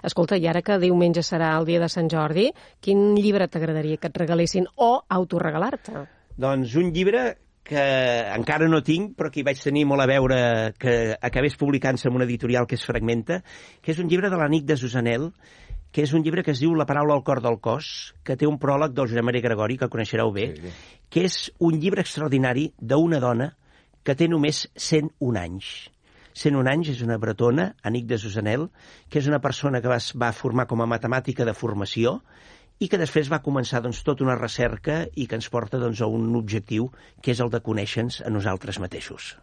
Escolta, i ara que diumenge serà el dia de Sant Jordi, quin llibre t'agradaria que et regalessin o autoregalar-te? Doncs un llibre que encara no tinc, però que hi vaig tenir molt a veure, que acabés publicant-se en una editorial que és Fragmenta, que és un llibre de l'Annick de Susanel, que és un llibre que es diu La paraula al cor del cos, que té un pròleg del Josep Maria Gregori, que coneixereu bé, que és un llibre extraordinari d'una dona que té només 101 anys. 101 anys, és una bretona, Annick de Susanel, que és una persona que va formar com a matemàtica de formació i que després va començar tota una recerca i que ens porta a un objectiu, que és el de conèixer-nos a nosaltres mateixos.